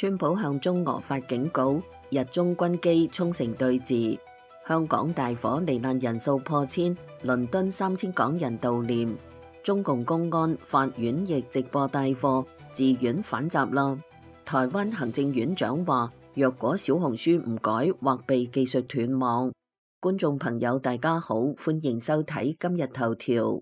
川普向中俄發警告，日中軍機沖繩對峙。香港大火罹難人數破千，倫敦3000港人悼念。中共公安法院亦直播帶貨，自願反襲啦。台灣行政院長話，若果小紅書唔改，或被技術斷網。觀眾朋友大家好，歡迎收睇今日頭條。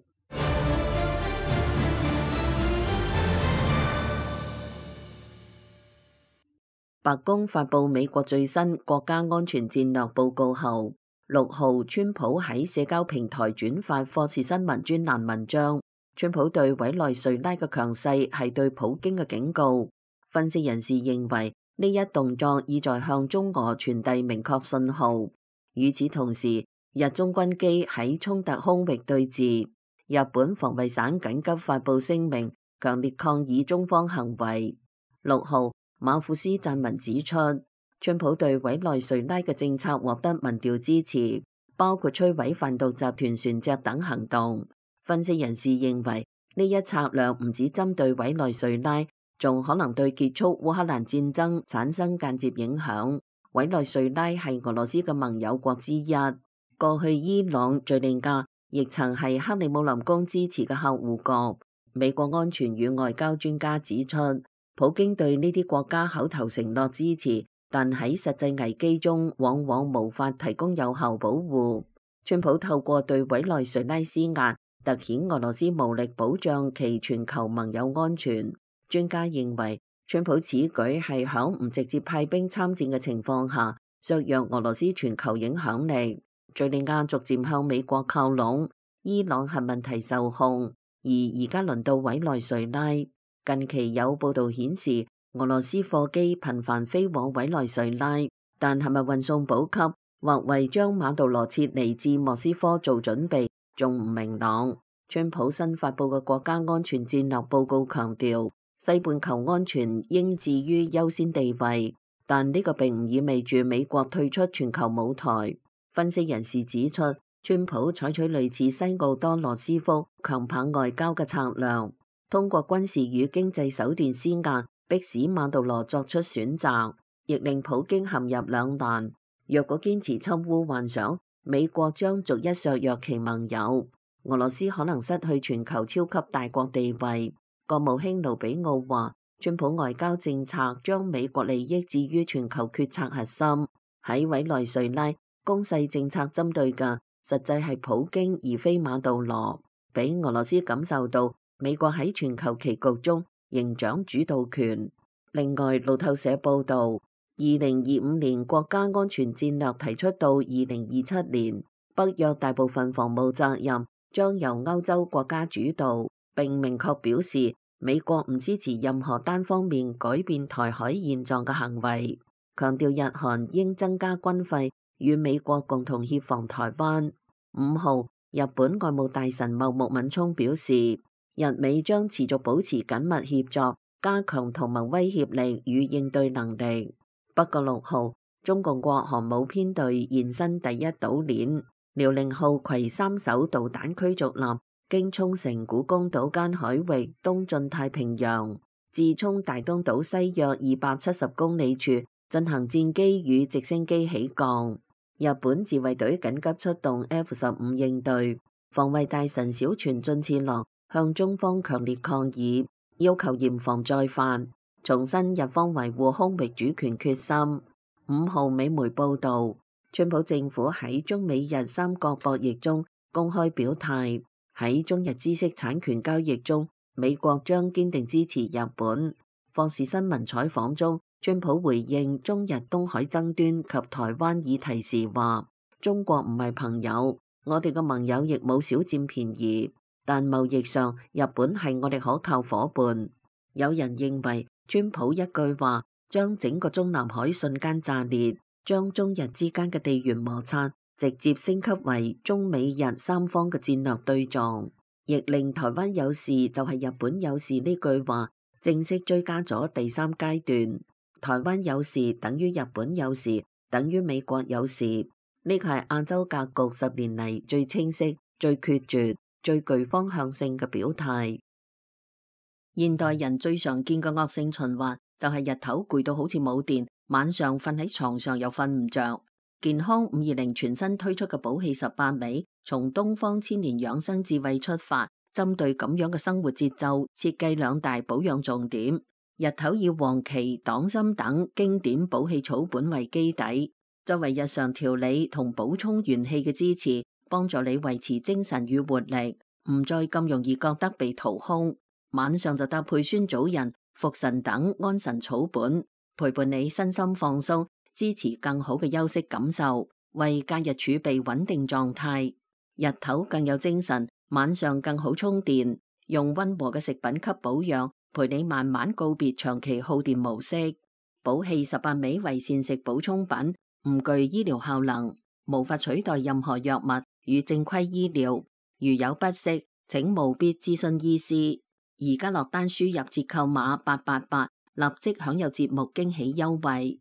白宮發佈美國最新國家安全戰略報告後，6號川普喺社交平台轉發霍士新聞專欄文章。川普對委內瑞拉嘅強勢係對普京嘅警告。分析人士認為呢一動作意在向中俄傳遞明確信號。與此同時，日中軍機喺衝突空域對峙。日本防衛省緊急發佈聲明，強烈抗議中方行為。6號。馬庫斯撰文指出，川普對委內瑞拉嘅政策獲得民調支持，包括摧毀販毒集團船隻等行動。分析人士認為，呢一策略唔止針對委內瑞拉，仲可能對結束烏克蘭戰爭產生間接影響。委內瑞拉係俄羅斯嘅盟友國之一，過去伊朗、敘利亞亦曾係克里姆林宮支持嘅客戶國。美國安全與外交專家指出，普京對呢啲國家口頭承諾支持，但喺實際危機中往往無法提供有效保護。川普透過對委內瑞拉施壓，凸顯俄羅斯無力保障其全球盟友安全。專家認為，川普此舉係響唔直接派兵參戰嘅情況下，削弱俄羅斯全球影響力。敘利亞逐漸向美國靠攏，伊朗核問題受控，而家輪到委內瑞拉。近期有報道顯示，俄羅斯貨機頻繁飛往委內瑞拉，但係咪運送補給或為將馬杜羅撤離至莫斯科做準備，仲唔明朗。川普新發佈嘅國家安全戰略報告強調，西半球安全應置於優先地位，但呢個並唔意味住美國退出全球舞台。分析人士指出，川普採取類似西奧多羅斯福強棒外交嘅策略，通過軍事與經濟手段施壓，迫使馬杜羅作出選擇，亦令普京陷入兩難。若果堅持侵烏幻想，美國將逐一削弱其盟友，俄羅斯可能失去全球超級大國地位。國務卿盧比奧話，川普外交政策將美國利益置於全球決策核心。喺委內瑞拉，攻勢政策針對嘅實際係普京而非馬杜羅，俾俄羅斯感受到美國喺全球棋局中仍掌主導權。另外，路透社報導，2025年國家安全戰略提出到2027年，北約大部分防務責任將由歐洲國家主導，並明確表示美國唔支持任何單方面改變台海現狀嘅行為，強調日韓應增加軍費與美國共同協防台灣。5號，日本外務大臣茂木敏充表示，日美將持續保持緊密協作，加強同盟威脅力與應對能力。不過6號，中共國航母編隊現身第一島鏈，遼寧號攜3艘導彈驅逐艦經沖繩古公島間海域東進太平洋，自沖大東島西約270公里處進行戰機與直升機起降。日本自衛隊緊急出動 F-15 應對。防衛大臣小泉進次郎向中方強烈抗議，要求嚴防再犯，重申日方維護空域主權決心。5號，美媒報導，川普政府喺中美日三角博弈中公開表態，喺中日知識產權交易中，美國將堅定支持日本。霍士新聞採訪中，川普回應中日東海爭端及台灣議題時話，中國唔係朋友，我哋嘅盟友亦冇少佔便宜，但貿易上日本係我哋可靠夥伴。有人認為川普一句話將整個中南海瞬間炸裂，將中日之間嘅地緣摩擦直接升級為中美日三方嘅戰略對撞，亦令台灣有事就係日本有事呢句話正式追加咗第3階段。台灣有事等於日本有事等於美國有事，呢個係亞洲格局10年嚟最清晰、最決絕、最具方向性嘅表態。現代人最常見嘅惡性循環就係日頭攰到好似冇電，晚上瞓喺床上又瞓唔着。健康520全新推出嘅寶氣18味，從東方千年養生智慧出發，針對咁樣嘅生活節奏，設計2大保養重點。日頭以黃芪、黨參等經典補氣草本為基底，作為日常調理同補充元氣嘅支持，幫助你維持精神與活力，唔再咁容易覺得被掏空。晚上就搭配酸棗仁、茯神等安神草本，陪伴你身心放鬆，支持更好嘅休息感受，為假日儲備穩定狀態。日頭更有精神，晚上更好充電。用溫和嘅食品給保養，陪你慢慢告別長期耗電模式。寶氣18味為膳食補充品，唔具醫療效能，無法取代任何藥物與正規醫療。如有不適，請務必諮詢醫師。而家落單輸入折扣碼888，立即享有節目驚喜優惠。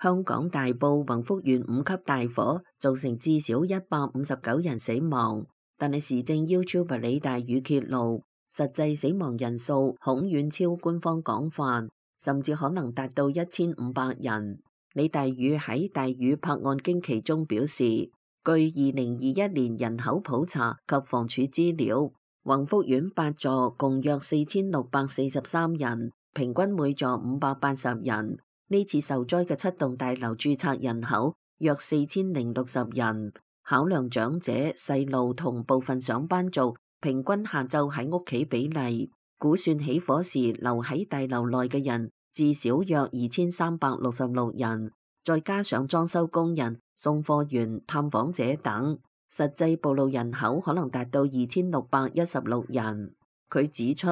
香港大埔宏福苑5級大火，造成至少159人死亡，但係時政 YouTuber 李大宇揭露，實際死亡人數恐遠超官方廣泛，甚至可能達到1500人。李大宇喺大宇拍案驚奇中表示，據2021年人口普查及房署資料，宏福苑8座共約4643人，平均每座580人。呢次受災嘅7棟大樓註冊人口約4060人，考量長者、細路同部分上班族平均下晝喺屋企比例，估算起火時留喺大樓內嘅人至少約2366人，再加上裝修工人、送貨員、探訪者等，實際暴露人口可能達到2616人。佢指出，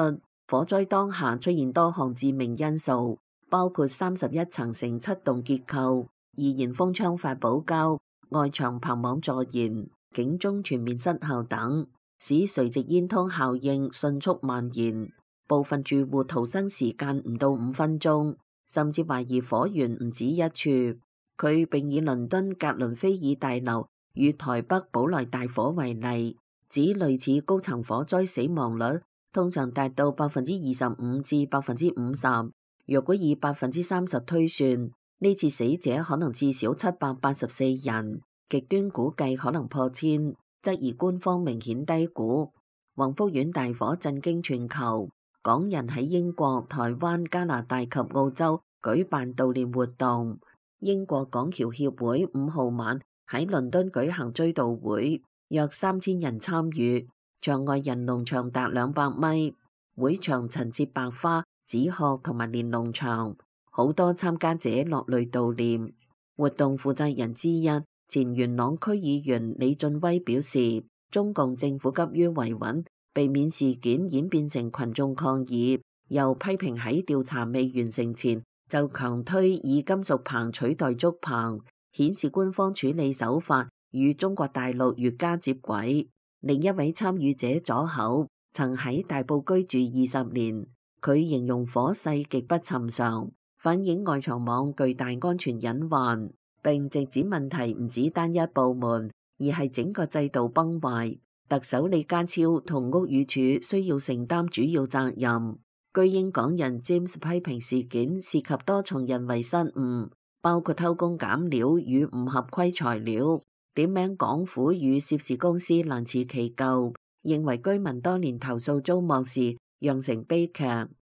火災當下出現多項致命因素，包括31層承7棟結構、易燃封窗發泡膠、外牆棚網助燃、警鐘全面失效等，使垂直煙囪效應迅速蔓延。部分住戶逃生時間唔到5分鐘，甚至懷疑火源唔止一處。佢並以倫敦格倫菲爾大樓與台北寶來大火為例，指類似高層火災死亡率通常達到25%至50%。若果以30%推算，呢次死者可能至少784人，極端估計可能破千，質疑官方明顯低估。宏福苑大火震驚全球，港人喺英國、台灣、加拿大及澳洲舉辦悼念活動。英國港僑協會5號晚喺倫敦舉行追悼會，約3000人參與，場外人龍長達200米，會場陳設白花、紙鶴同埋連儂牆，好多參加者落淚悼念。活動負責人之一前元朗區議員李俊威表示，中共政府急於維穩，避免事件演變成群眾抗議，又批評喺調查未完成前就強推以金屬棚取代竹棚，顯示官方處理手法與中國大陸越加接軌。另一位參與者左口曾喺大埔居住20年。佢形容火勢極不尋常，反映外牆網巨大安全隱患，並直指問題唔止單一部門，而係整個制度崩壞。特首李家超同屋宇署需要承擔主要責任。據英港人 James 批評事件涉及多重人為失誤，包括偷工減料與唔合規材料，點名港府與涉事公司難辭其咎，認為居民多年投訴遭漠視，釀成悲劇。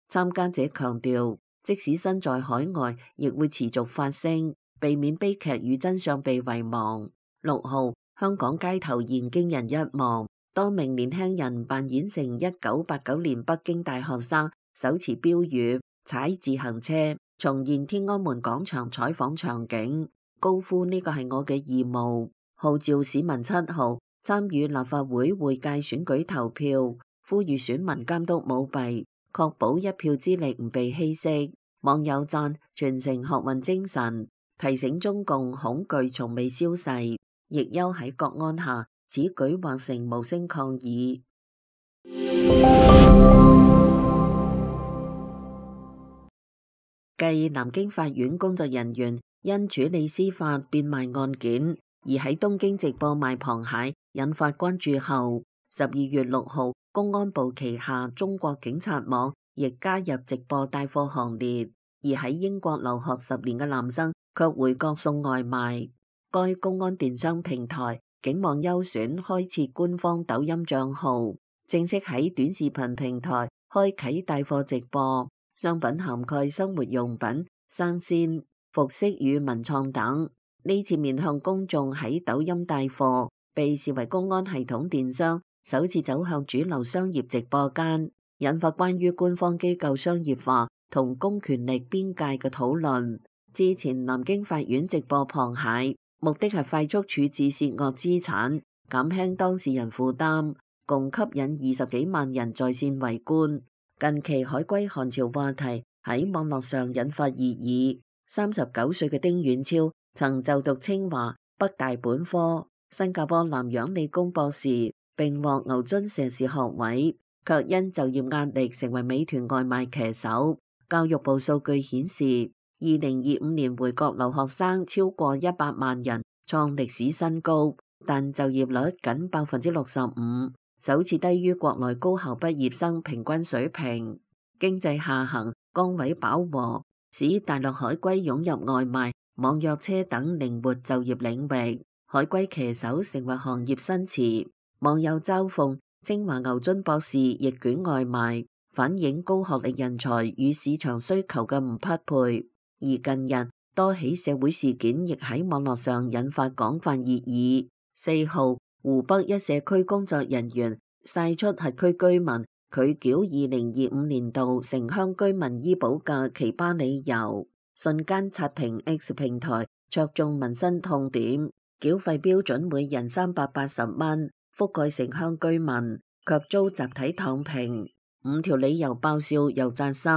參加者強調，即使身在海外，亦會持續發聲，避免悲劇與真相被遺忘。6號，香港街頭現驚人一幕，多名年輕人扮演成1989年北京大學生，手持標語，踩自行車，重現天安門廣場採訪場景，高呼呢個係我嘅義務，號召市民7號參與立法會會屆選舉投票，呼籲選民監督舞弊，確保一票之力唔被稀釋。網友讚傳承學運精神，提醒中共恐懼從未消逝，亦憂喺國安下，此舉或成無聲抗議。繼南京法院工作人員因處理司法變賣案件而喺東京直播賣螃蟹引發關注後， 12月6號，公安部旗下中國警察網亦加入直播帶貨行列，而喺英國留學10年嘅男生卻回國送外賣。該公安電商平台警網優選開設官方抖音賬號，正式喺短視頻平台開啟帶貨直播，商品涵蓋生活用品、生鮮、服飾與文創等。呢次面向公眾喺抖音帶貨，被視為公安系統電商首次走向主流商業直播間，引發關於官方機構商業化同公權力邊界嘅討論。之前南京法院直播螃蟹，目的係快速處置涉惡資產，減輕當事人負擔，共吸引20幾萬人在線圍觀。近期海歸韓潮話題喺網絡上引發熱議。39歲嘅丁遠超曾就讀清華、北大本科、新加坡南洋理工博士，並獲牛津碩士學位，卻因就業壓力成為美團外賣騎手。教育部數據顯示，2025年回國留學生超過100萬人，創歷史新高，但就業率僅65%，首次低於國內高校畢業生平均水平。經濟下行，崗位飽和，使大陸海歸湧入外賣、網約車等靈活就業領域，海歸騎手成為行業新詞。網友嘲諷清華牛津博士逆捲外賣，反映高學歷人才與市場需求嘅唔匹配。而近日多起社會事件亦喺網絡上引發廣泛熱議。4號，湖北一社區工作人員曬出轄區居民拒繳2025年度城鄉居民醫保嘅奇葩理由，瞬間刷屏 X 平台，戳中民生痛點。繳費標準每人380蚊，覆蓋城鄉居民，卻遭集體躺平。5條理由爆笑又扎心。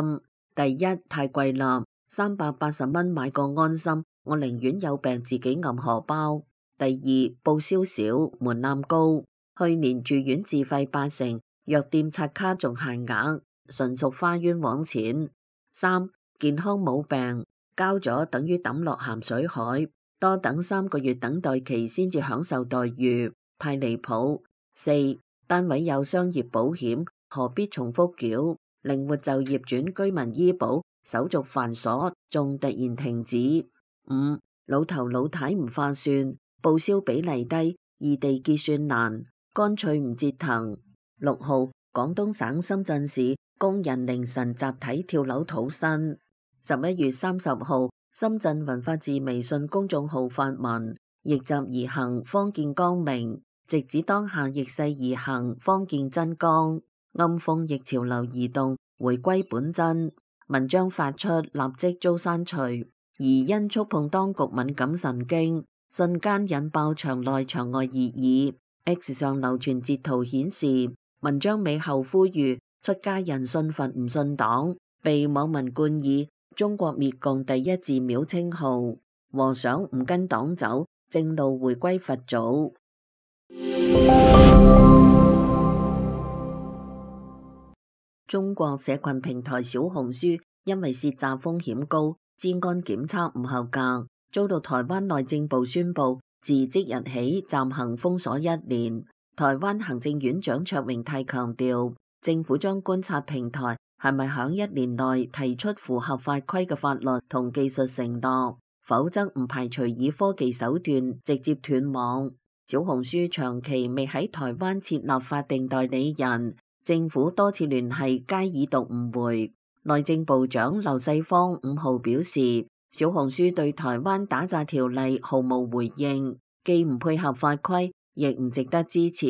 第一，太貴啦，380蚊買個安心，我寧願有病自己揞荷包。第二，報銷少，門檻高，去年住院自費80%，藥店刷卡仲限額，純屬花冤枉錢。3，健康冇病，交咗等於抌落鹹水海，多等3個月等待期先至享受待遇，太離譜。4，單位有商業保險，何必重複繳？靈活就業轉居民醫保手續繁瑣，仲突然停止。5，老頭老太唔划算，報銷比例低，異地結算難，乾脆唔折騰。6號，廣東省深圳市工人凌晨集體跳樓討薪。11月30號，深圳文化寺微信公眾號發文，逆襲而行，方見光明，直指當下逆勢而行，方見真光，暗諷逆潮流移動，回歸本真。文章發出立即遭刪除，而因觸碰當局敏感神經，瞬間引爆場內場外熱議。X 上流傳截圖顯示，文章尾後呼籲出家人信佛唔信黨，被網民冠以中國滅共第一寺廟稱號。和尚唔跟黨走，正路回歸佛祖。中國社群平台小紅書因為涉詐風險高，資安檢測唔合格，遭到台灣內政部宣布自即日起暫行封鎖1年。台灣行政院長卓榮泰強調，政府將觀察平台係咪響1年內提出符合法規嘅法律同技術承諾，否則唔排除以科技手段直接斷網。小紅書長期未喺台灣設立法定代理人，政府多次聯繫皆已讀唔回。內政部長劉世芳5號表示，小紅書對台灣打詐條例毫無回應，既唔配合法規，亦唔值得支持。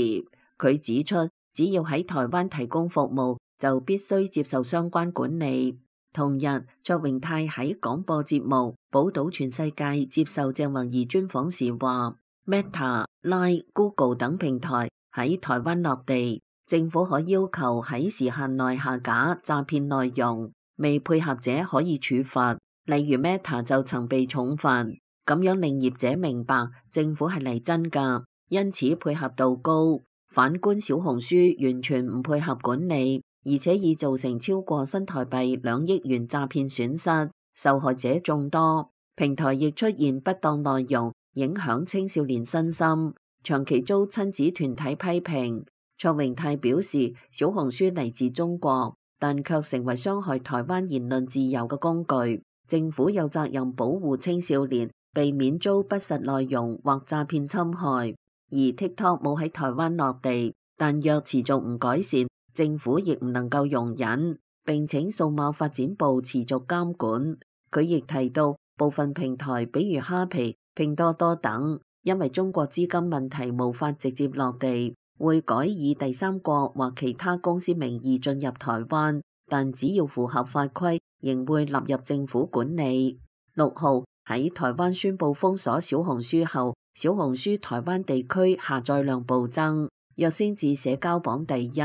佢指出，只要喺台灣提供服務，就必須接受相關管理。同日，卓榮泰喺廣播節目《寶島全世界》接受鄭弘儀專訪時話，Meta、Line、Google 等平台喺台灣落地，政府可要求喺時限內下架詐騙內容，未配合者可以處罰。例如 Meta 就曾被重罰，咁樣令業者明白政府係嚟真㗎，因此配合度高。反觀小紅書完全唔配合管理，而且已造成超過新台幣2億元詐騙損失，受害者眾多。平台亦出現不當內容，影響青少年身心，長期遭親子團體批評。卓榮泰表示，小紅書嚟自中國，但卻成為傷害台灣言論自由嘅工具。政府有責任保護青少年，避免遭不實內容或詐騙侵害。而 TikTok 冇喺台灣落地，但若持續唔改善，政府亦唔能夠容忍，並請數碼發展部持續監管。佢亦提到，部分平台，比如蝦皮、拼多多等，因為中國資金問題無法直接落地，會改以第三國或其他公司名義進入台灣，但只要符合法規，仍會納入政府管理。6號喺台灣宣布封鎖小紅書後，小紅書台灣地區下載量暴增，躍升至社交榜第一，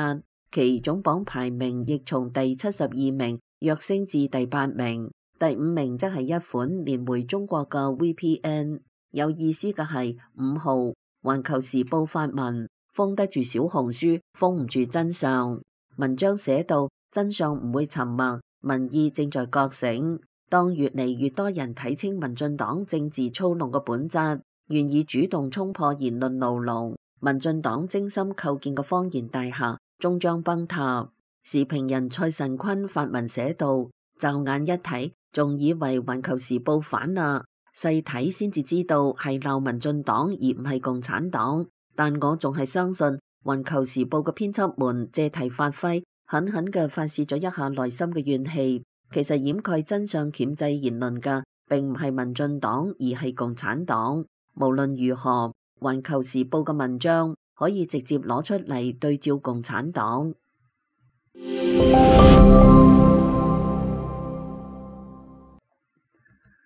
其總榜排名亦從第72名躍升至第8名，第5名則係一款連回中國嘅 VPN。有意思嘅係5號環球時報發文，封得住小紅書，封唔住真相。文章寫到，真相唔會沉默，民意正在覺醒。當越嚟越多人睇清民進黨政治操弄嘅本質，願意主動衝破言論牢籠，民進黨精心構建嘅謊言大廈終將崩塌。時評人蔡神坤發文寫道，驟眼一睇，仲以為環球時報反啦，細睇先至知道係鬧民進黨而唔係共產黨。但我仲係相信環球時報嘅編輯們借題發揮，狠狠嘅發洩咗一下內心嘅怨氣。其實掩蓋真相、鉗制言論嘅並唔係民進黨，而係共產黨。無論如何，環球時報嘅文章可以直接攞出嚟對照共產黨。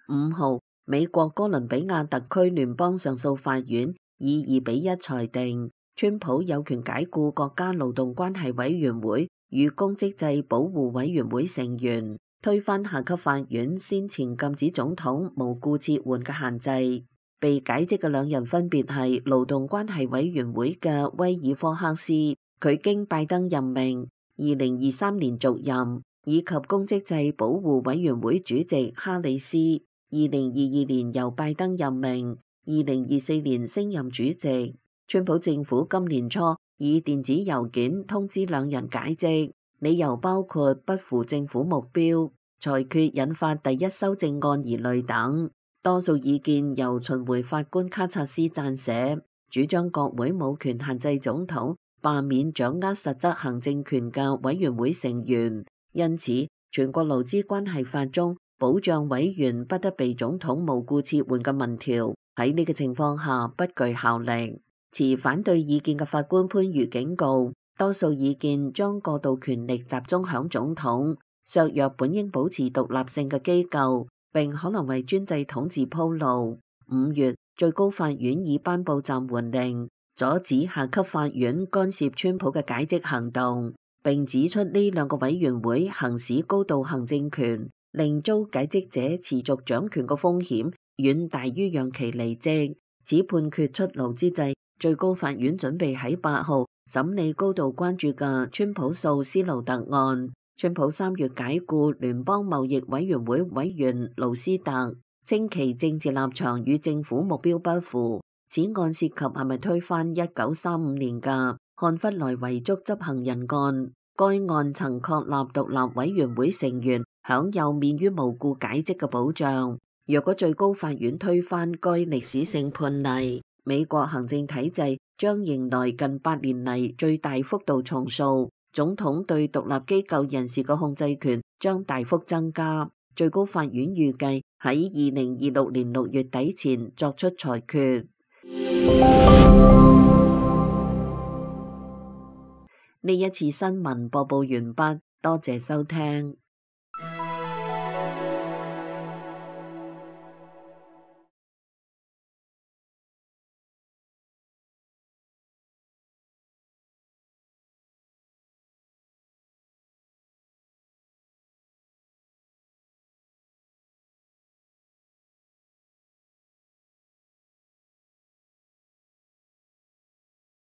5號，美國哥倫比亞特區聯邦上訴法院以2-1裁定，川普有權解僱國家勞動關係委員會與公職制保護委員會成員，推翻下級法院先前禁止總統無故撤換嘅限制。被解職嘅兩人分別係勞動關係委員會嘅威爾科克斯，佢經拜登任命，2023年續任，以及公職制保護委員會主席哈里斯，2022年由拜登任命，2024年升任主席。川普政府今年初以電子郵件通知兩人解職，理由包括不符政府目標、裁決引發第一修正案疑慮等。多數意見由巡迴法官卡察斯撰寫，主張國會冇權限制總統罷免掌握實質行政權嘅委員會成員，因此全國勞資關係法中保障委員不得被總統無故撤換嘅民條喺呢個情況下不具效力。持反對意見嘅法官潘瑜警告，多數意見將過度權力集中響總統，削弱本應保持獨立性嘅機構，並可能為專制統治鋪路。5月，最高法院已頒布暫緩令，阻止下級法院干涉川普嘅解職行動，並指出呢兩個委員會行使高度行政權，令遭解職者持續掌權嘅風險遠大於讓其離職。此判決出爐之際，最高法院準備喺8號審理高度關注嘅川普訴斯勞特案。川普3月解僱聯邦貿易委員會委員盧斯特，稱其政治立場與政府目標不符。此案涉及係咪推翻1935年嘅漢弗萊遺囑執行人案。該案曾確立獨立委員會成員享有免於無故解職嘅保障。若果最高法院推翻該歷史性判例，美國行政體制將迎來近8年嚟最大幅度重塑。總統對獨立機構人士嘅控制權將大幅增加。最高法院預計喺2026年6月底前作出裁決。呢一次新聞播報完畢，多謝收聽。